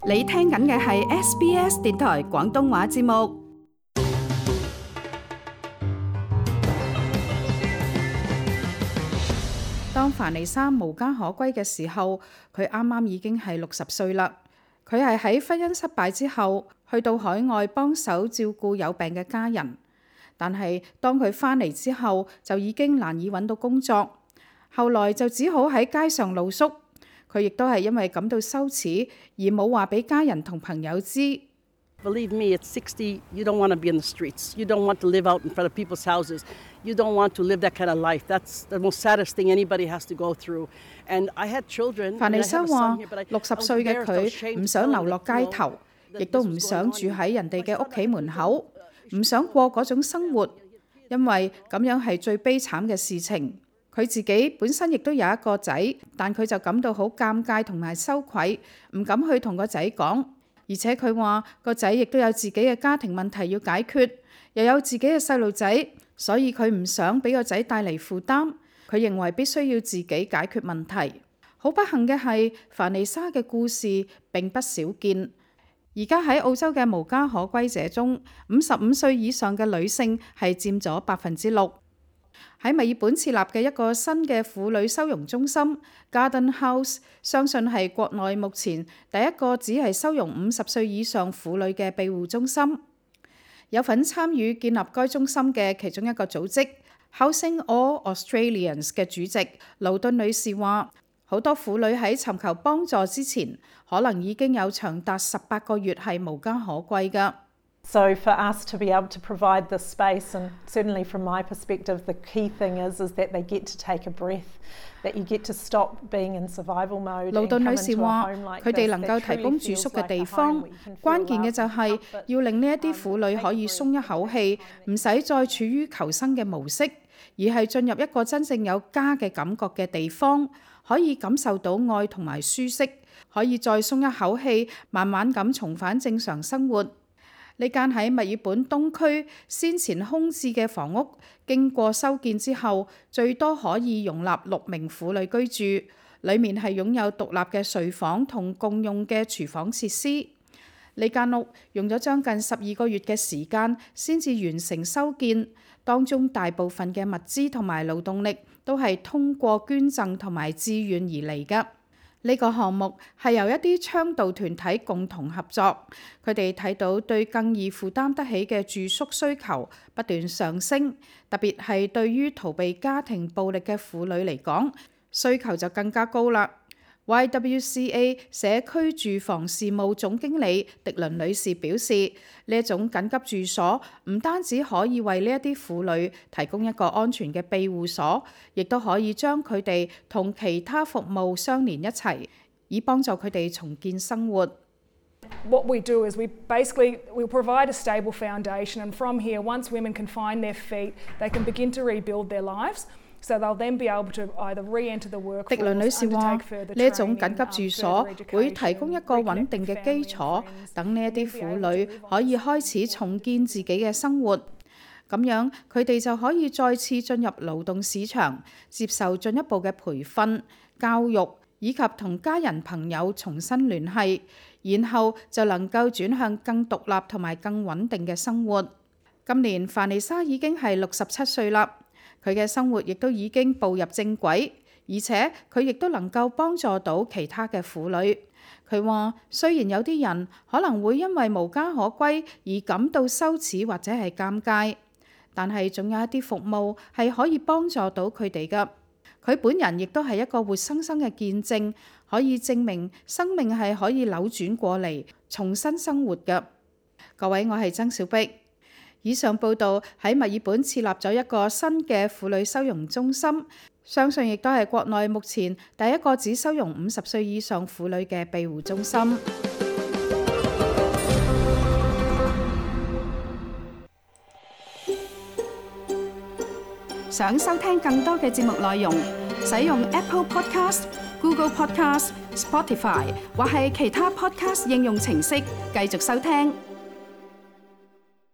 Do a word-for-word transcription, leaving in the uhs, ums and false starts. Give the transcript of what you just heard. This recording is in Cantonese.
你聽緊嘅係 S B S 電台廣東話節目。當凡妮莎無家可歸嘅時候，佢啱啱已經係六十歲啦。佢係喺婚姻失敗之後，去到海外幫手照顧有病嘅家人。但係當佢返嚟之後，就已經難以揾到工作，後來就只好喺街上露宿。佢亦都係因為感到羞恥，而冇話俾家人同朋友知。Believe me, at sixty, you don't want to be in the streets. You don't want to live out in front of people's houses. You don't want to live that kind of life. That's the most saddest thing anybody has to go through. And I had children. 凡妮莎話：六十歲嘅佢唔想流落街頭，亦都唔想住喺人哋嘅屋企門口，唔想過嗰種生活，因為咁樣係最悲慘嘅事情。佢自己本身亦都有一個仔，但佢就感到好尷尬同埋羞愧，唔敢去同個仔講。而且佢話個仔亦都有自己嘅家庭問題要解決，又有自己嘅細路仔，所以佢唔想俾個仔帶嚟負擔。佢認為必須要自己解決問題。好不幸嘅係，凡妮莎嘅故事並不少見。而家喺澳洲嘅無家可歸者中，五十五歲以上嘅女性係佔咗百分之六。喺墨爾本設立嘅一個新嘅婦女收容中心 Garden House， 相信係國內目前第一個只係收容五十歲以上婦女嘅庇護中心。有份參與建立該中心嘅其中一個組織 Housing All Australians 嘅主席勞頓女士話：好多婦女喺尋求幫助之前，可能已經有長達十八個月係無家可歸㗎。So for us to be able to provide the space, and certainly from my perspective, the key thing is is that they get to take a breath, that you get to stop being in survival mode. 勞頓女士話：佢哋能夠提供住宿嘅地方，關鍵嘅就係要令呢一啲婦女可以鬆一口氣，唔使再處於求生嘅模式，而係進入一個真正有家嘅感覺嘅地方，可以感受到愛同埋舒適，可以再鬆一口氣，慢慢咁重返正常生活。呢間喺墨爾本東區先前空置嘅房屋，經過修建之後，最多可以容納六名婦女居住。裡面係擁有獨立嘅睡房同共用嘅廚房設施。呢間屋用咗將近十二個月嘅時間先至完成修建，當中大部分嘅物資同埋勞動力都係通過捐贈同埋志願而嚟㗎。呢個項目係由一啲倡導團體共同合作，佢哋睇到對更易負擔得起嘅住宿需求不斷上升，特別係對於逃避家庭暴力嘅婦女嚟講，需求就更加高啦。Y W C A 社區住房事務總經理迪倫女士表示，呢一種緊急住所唔單止可以為呢一啲婦女提供一個安全嘅庇護所，亦都可以將佢哋同其他服務相連一齊，以幫助佢哋重建生活。What we do is we basically we provide a stable foundation, and from here, once women can find their feet, they can begin to rebuild their lives. So they'll then be able to either re-enter the workforce. 迪倫女士話：呢一種緊急住所會提供一個穩定嘅基礎，等呢一啲婦女可以開始重建自己嘅生活。咁樣佢哋就可以再次進入勞動市場，接受進一步嘅培訓、教育，以及同家人朋友重新聯繫，然後就能夠轉向更獨立同埋更穩定嘅生活。今年凡妮莎已經係六十七歲啦。佢嘅生活亦都已經步入正軌，而且佢亦都能夠幫助到其他嘅婦女。佢話：雖然有啲人可能會因為無家可歸而感到羞恥或者係尷尬，但係總有一啲服務係可以幫助到佢哋㗎。佢本人亦都係一個活生生嘅見證，可以證明生命係可以扭轉過嚟，重新生活㗎。各位，我係曾小碧。以上報導喺墨爾本設立咗一個新嘅婦女收容中心，相信亦都係國內目前第一個只收容五十歲以上婦女嘅庇護中心。想收聽更多嘅節目內容，使用 Apple Podcast、Google Podcast、Spotify 或係其他 Podcast 應用程式繼續收聽。